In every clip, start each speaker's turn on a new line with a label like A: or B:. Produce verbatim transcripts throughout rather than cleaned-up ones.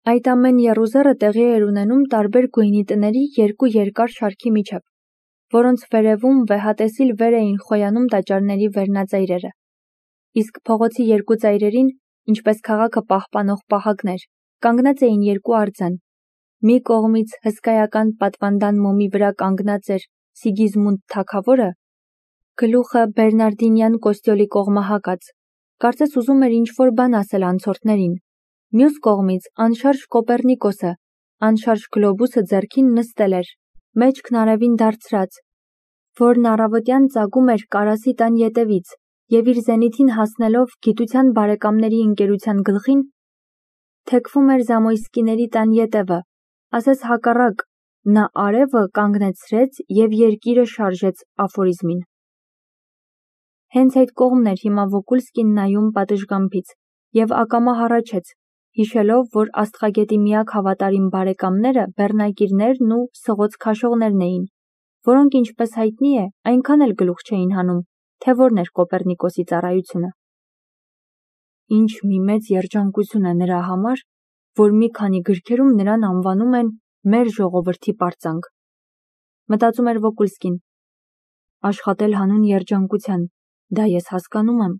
A: Այդ ամեն եռուզեռը տեղի էր ունենում տարբեր գույնի տների երկու երկար շարքի միջև, որոնց վերևում վեհատեսիլ վեր էին խոյանում տաճարների վերնածայրերը, իսկ փողոցի երկու ծայրերին, ինչպես քաղաքը պահպանող պահակներ, կանգնած էին երկու արձան. մի կողմից հսկայական պատվանդան մոմի վրա կանգնած էր Սիգիզմունդ թագավորը, գլուխը բերնարդինյան կոստյոլի կողմահակած, կարծես ուզում էր ինչ-որ բան ասել անցորդներին, մյուս կողմից անշարժ Կոպեռնիկոսը, անշարժ գլոբուսը ձեռքին նստել էր, մեջքն արևին դարձրած, որն առավոտյան ծագում էր Կարասի տան ետևից և իր զենիթին հասնելով գիտության բարեկամների ընկերության գլխին, թեքվում էր Զամոյսկիների տան ետևը, ասես հակառակ, նա արևը կանգնեցրեց և երկիրը շարժեց աֆորիզմին։ Հենց այդ կողմն էր հիմա Վոկուլսկին նայում պատշգամբից և ակամա հառաչեց, հիշելով, որ աստղագետի միակ հավատարիմ բարեկամները բեռնակիրներն ու սղոց քաշողներն էին, որոնք, ինչպես հայտնի է, այնքան էլ գլուխ չէին հանում, թե որն էր Կոպեռնիկոսի ծառայությունը։ Ինչ մի մեծ երջանկություն է նրա համար, որ մի քանի գրքերում նրան անվանում են «մեր ժողովրդի պարծանք», մտածում էր Վոկուլսկին։ Աշխատել հանուն երջանկության, դա ես հասկանում եմ,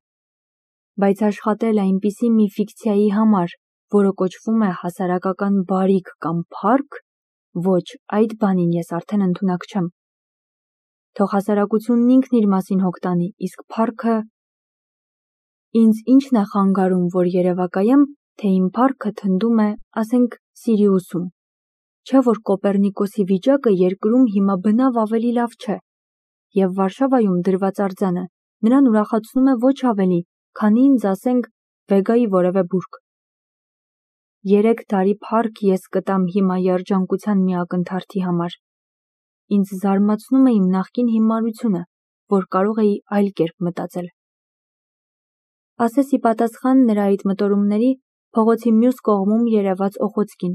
A: բայց աշխատել այնպիսի մի ֆիկցիայի համար, որը կոչվում է հասարակական բարիք կամ փառք, ոչ, այդ բանին ես արդեն ընդունակ չեմ։ Թող հասարակությունն ինքն իր մասին հոգ տանի, իսկ փառքը… Ինձ ինչն է խանգարում, որ երևակայեմ, թե իմ փառքը թնդում է, ասենք, Սիրիուսում, չէ՞ որ Կոպեռնիկոսի վիճակը երկրում հիմա բնավ ավելի լավ չէ, և Վարշավայում դրված արձանը նրան ուրախացնում է ոչ ավելի, քանի ինձ, ասենք, Վեգայի որևէ բուրգ։ Երեք տարի փառք ես կտամ հիմա երջանկության մի ակնթարթի համար։ Ինձ զարմացնում է իմ նախկին հիմարությունը, որ կարող էի այլ կերպ մտածել։ Ասես ի պատասխան նրա այդ մտորումների փողոցի մյուս կողմում երևաց Օխոցկին։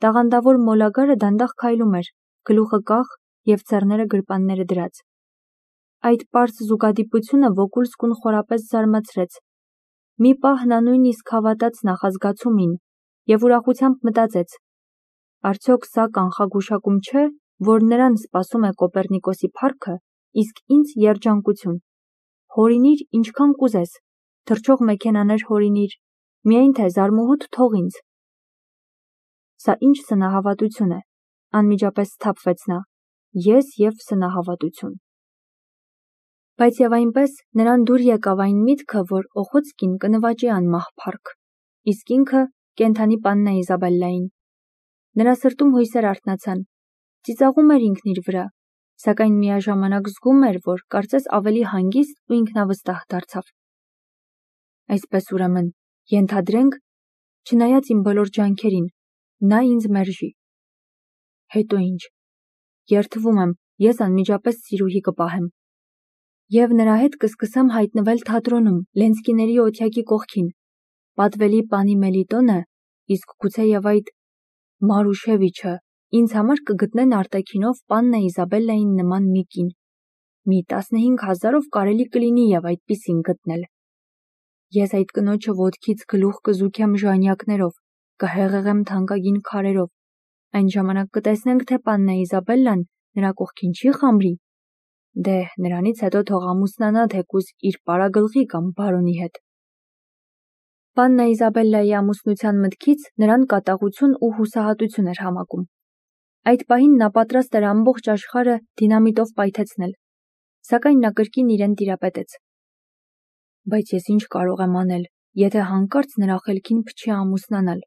A: Տաղանդավոր մոլագարը դանդաղ քայլում էր, գլուխը կախ և ցեռները գրպանները դրած։ Այդ պարզ զուգադիպությունը Վոկուլսկուն խորապես զարմացրեց։ Մի պահ նա նույնիսկ հավատաց նախազգացումին և ուրախությամբ մտածեց. արդյոք սա կանխագուշակում չէ, որ նրան սպասում է Կոպեռնիկոսի փառքը, իսկ ինձ երջանկություն։ Հորինիր ինչքան կուզես, թռչող մեքենաներ հորինիր, միայն թե զարմուհուդ թող ինձ։ Սա ինչ սնահավատություն է, անմիջապես սթափվեց նա, ես և սնահավատություն։ Բայց և այնպես նրան դուր եկավ այն միտքը, որ Օխոցկին կնվաճի անմահ փառք, իսկ ինքը կենդանի պաննա Իզաբելլային։ Նրա սրտում հույսեր արթնացան, ծիծաղում էր ինքն իր վրա, սակայն միաժամանակ զգում էր, որ կարծես ավելի հանգիստ ու ինքնավստահ դարձավ։ Այսպես ուրեմն, ենթադրենք, չնայած իմ բոլոր ջանքերին, նա ինձ մերժի։ Հետո ինչ։ Երդվում եմ, ես անմիջապես սիրուհի կպահեմ։ Եվ նրա հետ կսկսեմ հայտնվել թատրոնում, Լենսկիների օթյակի կողքին, պատվելի պանի Մելիտոնը, իսկ գուցեև այդ Մարուշևիչը ինձ համար կգտնեն արտաքինով պաննա Իզաբելլային նման մի կին։ Մի տասնհինգ հազարով կարելի կլինի և այդպիսին գտնել։ Ես այդ կնոջը ոտքից գլուխ կզուգեմ ժանյակներով, կհեղեղեմ թանկագին քարերով, այն ժամանակ կտեսնենք, թե պաննա Իզաբելլան նրա կողքին չի խամրի։ Դե, նրանից հետո թող ամուսնանա թեկուզ իր պարագլխի կամ բարոնի հետ։ Պաննա Իզաբելլայի ամուսնության մտքից նրան կատաղություն ու հուսահատություն էր համակում։ Այդ պահին նա պատրաստ էր ամբողջ աշխարհը դինամիտով պայթեցնել, սակայն նա կրկին իրեն տիրապետեց։ Բայց ես ինչ կարող եմ անել, եթե հանկարծ նրա խելքին փչի ամուսնանալ,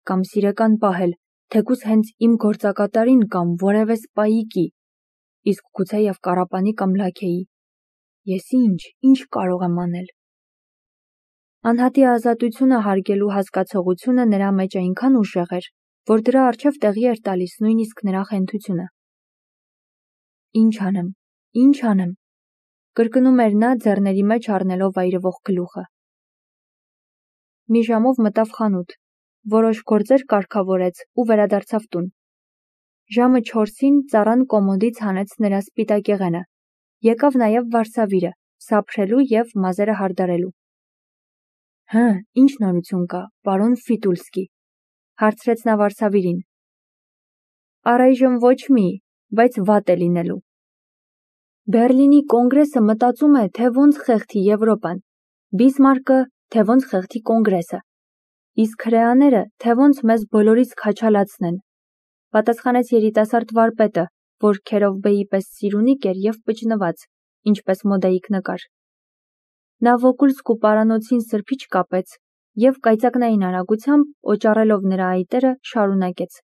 A: կամ սիրեկան պահել, թեկուզ հենց իմ գործակատարին կամ որևէ սպայիկի, իսկ գուցեև կառապանի կամ լաքեի։ Ես ինչ, ինչ կարող եմ անել։ Անհատի ազատությունը հարգելու հասկացողությունը նրա մեջ այնքան ուժեղ էր, որ դրա առջև տեղի էր տալիս նույնիսկ նրա խենթությունը։ Ինչ անեմ, ինչ անեմ, կրկնում էր նա ձեռների մեջ առնելով այրվող գլուխը։ Մի ժամով մտավ խանութ, որոշ գործեր կարգավորեց ու վերադարձավ տուն։ Ժամը չորսին ծառան կոմոդից հանեց նրա սպիտակեղենը, եկավ նաև վարսավիրը, սափրելու և մազերը հարդարելու։ Հը, ինչ նորություն կա, պարոն Ֆիտուլսկի, Հարցրեց նա վարսավիրին։ Առայժմ ոչ մի, բայց վատ է լինելու։ Բերլինի կոնգրեսը մտածում է, թե ոնց խեղդի Եվրոպան, Բիսմարկը, թե ոնց խեղդի կոնգրեսը, իսկ հրեաները, թե ոնց մեզ բոլորից քաչալացնեն, պատասխանեց երիտասարդ վարպետը, որ Քերովբեի պես սիրունիկ էր և պճնված, ինչպես մոդայիկ նկար։ Նա Վոկուլսկու պարանոցին սրբիչ կապեց և կայծակնային արագությամբ օճառելով նրա այտերը շարունակեց.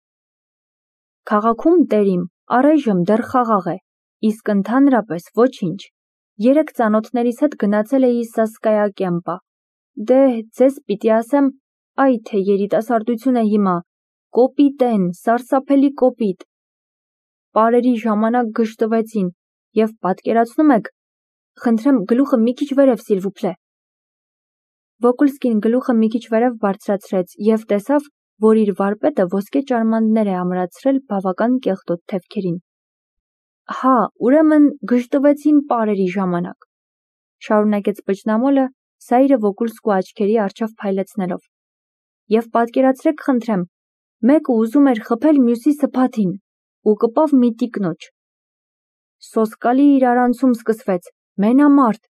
A: Քաղաքում տերիմ, առայժմ դեռ խաղաղ է, իսկ ընդհանրապես ոչինչ։ Երեկ ծանոթներիս հետ գնացել էի Սասկայա կեմպա։ Դե, ձեզ պիտի ասեմ, այ թե երիտասարդություն է հիմա, կոպիտ են, սարսափելի կոպիտ։ Պարերի ժամանակ գժտվեցին և պատկերացնում եք, խնդրեմ գլուխը մի քիչ վերև սիլվուպլե։ Վոկուլսկին գլուխը մի քիչ վերև բարձրացրեց և տեսավ, որ իր վարպետը ոսկե ճարմաններ է ամրացրել բավական կեղտոտ թևքերին։ Հա, ուրեմն գժտվեցին պարերի ժամանակ, շարունակեց պճնամոլը, սայրը Վոկուլսկու աչքերի առջև փայլեցնելով։ Եվ պատկերացրեք խնդրեմ, մեկը ուզում էր խփել մյուսի սփաթին ու կպավ մի տիկնոջ։ Սոսկալի իրարանցում սկսվեց, մենամարտ։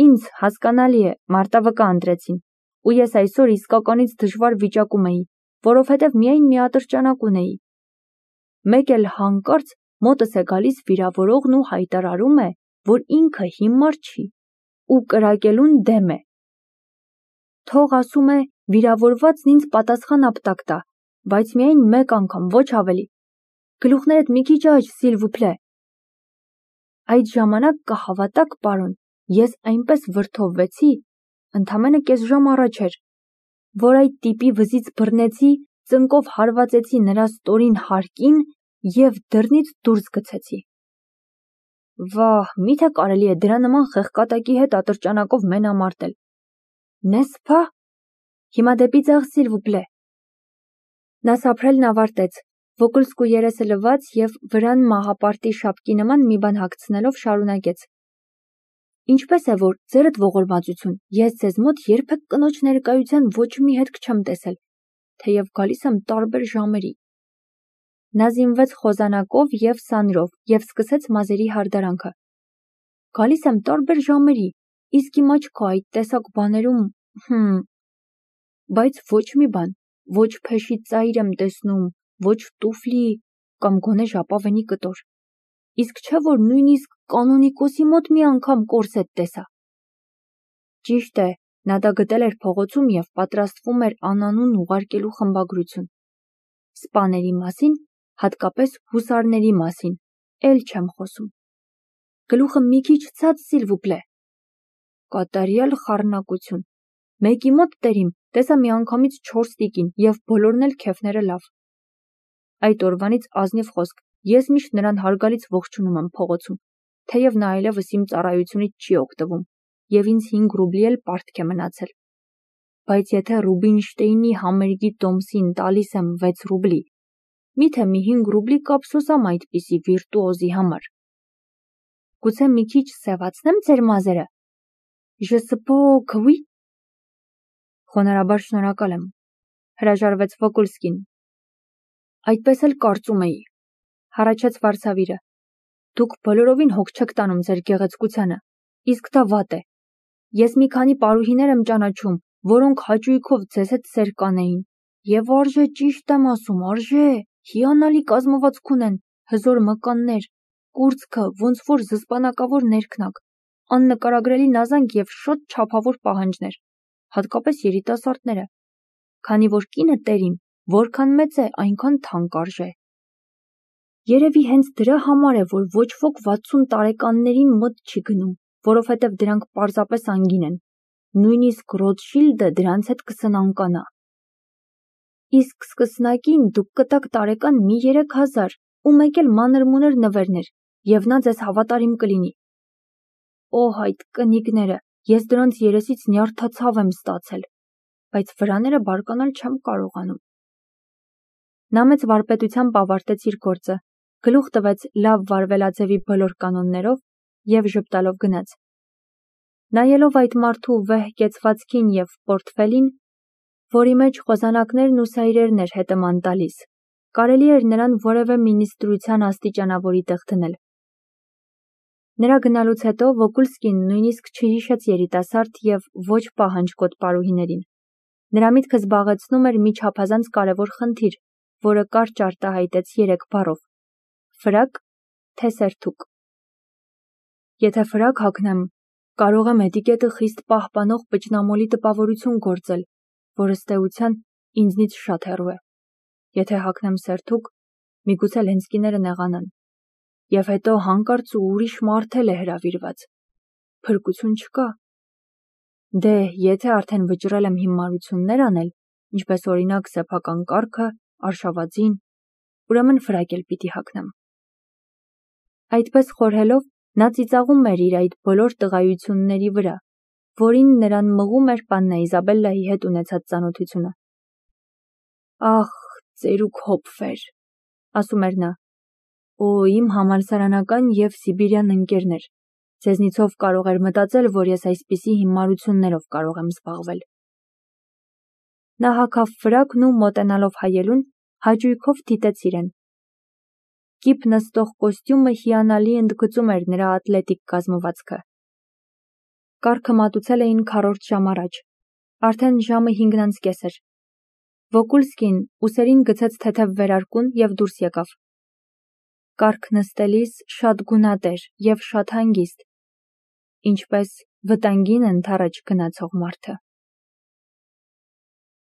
A: Ինձ, հասկանալի է, մարտավկա ընտրեցին, ու ես այսօր իսկականից դժվար վիճակում էի, որովհետև միայն մի ատրճանակ ունեի։ Մեկ էլ հանկարծ մոտս է գալիս վիրավորողն ու հայտարարում է, որ ինքը հիմար չի ու կրակելուն դեմ է։ Թող ասում է, վիրավորվածն ինձ պատասխան ապտակ տա, բայց միայն մեկ անգամ, ոչ ավելի։ Գլուխներդ մի քիչ աջ, սիլվուպլե։ Այդ ժամանակ կհավատաք, պարոն, ես այնպես վրդովվեցի, ընդամենը կես ժամ առաջ էր, որ այդ տիպի վզից բռնեցի, ծնկով հարվածեցի նրա ստորին հարկին և դռնից դուրս գցեցի։ Վահ, միթե կարելի է դրա նման խեղկատակի հետ ատրճանակով մենամարտել։ Նեսփա, հիմա դեպի ձախ, սիլվուպլե։ Նա սափրելն ավարտեց, Վոկուլսկու երեսը լվաց և վրան մահապարտի շապկի նման մի բան հագցնելով շարունակեց. Ինչպես է որ, ձերդ ողորմածություն, ես ձեզ մոտ երբեք կնոջ ներկայության ոչ մի հետք չեմ տեսել, թեև գալիս եմ տարբեր ժամերի։ Նա զինվեց խոզանակով և սանրով և սկսեց մազերի հարդարանքը։ Գալիս եմ տարբեր ժամերի, իսկ իմ աչքը այդ տեսակ բաներում, հմ, բայց ոչ մի բան, ոչ փեշի ծայր եմ տեսնում, ոչ տուֆլի կամ գոնե ժապավենի կտոր, իսկ չէ որ նույնիսկ կանոնիկոսի մոտ մի անգամ կորսետ տեսա։ Ճիշտ է, նա դա գտել էր փողոցում և պատրաստվում էր անանուն ուղարկելու խմբագրություն։ Սպաների մասին, հատկապես հուսարների մասին, էլ չեմ խոսում։ Գլուխը մի քիչ ցած, սիլվուպլե։ Կատարյալ խառնակություն։ Մեկի մոտ տերիմ, տեսա միանգամից չորս տիկին և բոլորն էլ քեֆները լավ։ Այդ օրվանից ազնիվ խոսք, ես միշտ նրան հարգալից ողջունում եմ փողոցում, թեև նա այլևս իմ ծառայությունից չի օգտվում, և ինձ հինգ ռուբլի էլ պարտք է մնացել։ Բայց եթե Ռուբինշտեյնի համերգի տոմսին տալիս եմ վեց ռուբլի, միթե մի հինգ ռուբլի կափսոսամ այդպիսի վիրտուոզի համար։ Գուցե մի քիչ սևացնեմ ձեր մազերը։ Je suppose que oui։ Խոնարհաբար շնորհակալ եմ, հրաժարվեց Վոկուլսկին։ Այդպես էլ կարծում էի, հառաչեց վարսավիրը։ Դուք բոլորովին հոգ չեք տանում ձեր գեղեցկությանը, իսկ դա վատ է։ Ես մի քանի պարուհիներ եմ ճանաչում, որոնք հաճույքով ձեզ հետ սեր կանեին, և արժե, ճիշտ եմ ասում, արժե, հիանալի կազմվածք ունեն, հզոր մկաններ, կուրծքը ոնց որ զսպանակավոր ներքնակ, աննկարագրելի նազանք և շատ չափավոր պահանջներ, հատկապես երիտասարդները, քանի որ կինը տերիմ, որքան մեծ է, այնքան թանկ արժե։ Երևի հենց դրա համար է, որ ոչ ոք վաթսուն տարեկաններին մոտ չի գնում, որովհետև դրանք պարզապես անգին են, նույնիսկ Ռոթշիլդը դրանց հետ կսնանկանա։ Իսկ սկսնակին դուք կտաք տարեկան մի երեք հազար ու մեկ էլ մանր-մունր նվերներ, և նա ձեզ հավատարիմ կլինի։ Օհ, այդ կնիկները, ես դրանց երեսից նյարդացավ եմ ստացել, բայց վրաները բարկանալ չեմ կարողանում։ Նա մեծ վարպետությամբ ավարտեց իր գործը, գլուխ տվեց լավ վարվելաձևի բոլոր կանոններով և ժպտալով գնաց։ Նայելով այդ մարդու վեհ կեցվածքին և պորտֆելին, որի մեջ խոսանակներն ու սայրերն էր հետըման տալիս, կարելի էր նրան որևէ մինիստրության աստիճանավորի տեղ դնել։ Նրա գնալուց հետո Վոկուլսկին նույնիսկ չհիշեց երիտասարդ և ոչ պահանջկոտ պարուհիներին։ Նրա միտքը զբաղեցնում էր մի չափազանց կարևոր խնդիր, որը կարճ արտահայտեց երեք բառով. ֆրակ, թե սերթուկ։ Եթե ֆրակ հագնեմ, կարող եմ էտիկետը խիստ պահպանող պճնամոլի տպավորություն գործել, որ ըստ էության ինձնից շատ հեռու է։ Եթե հագնեմ սերթուկ, միգուցե Լենսկիները նեղանան։ Եվ հետո հանկարծ ու ուրիշ մարդ էլ է հրավիրված։ Փրկություն չկա։ Դե, եթե արդեն վճռել եմ հիմարություններ անել, ինչպես օրինակ սեփական կառքը, արշավածին, ուրեմն ֆրակ էլ պիտի հագնեմ։ Այդպես խորհելով, նա ծիծաղում էր իր այդ բոլոր տղայությունների վրա, որին նրան մղում էր Պաննա Իզաբելլայի հետ ունեցած ծանոթությունը։ Ախ, ծերուկ հոպվեր, ասում էր նա, օ, իմ համալսարանական և սիբիրյան ընկերներ, ձեզնիցով կարող էր մտածել, որ ես այսպիսի հիմարություններով կարող եմ զբաղվել։ Նա հագավ ֆրակն ու մոտենալով հայելուն, հաճույքով դիտեց իրեն։ Կիպ նստող կոստյումը հիանալի ընդգծում էր նրա ատլետիկ կազմվածքը։ Կառքը մատուցել էին քառորդ ժամ առաջ, արդեն ժամը հինգն անց կես էր։ Վոկուլսկին ուսերին գցեց թեթև վերարկուն և դուրս եկավ։ Կառք նստելիս շատ գունատ էր և շատ հանգիստ, ինչպես վտանգին ընդառաջ գնացող մարդը։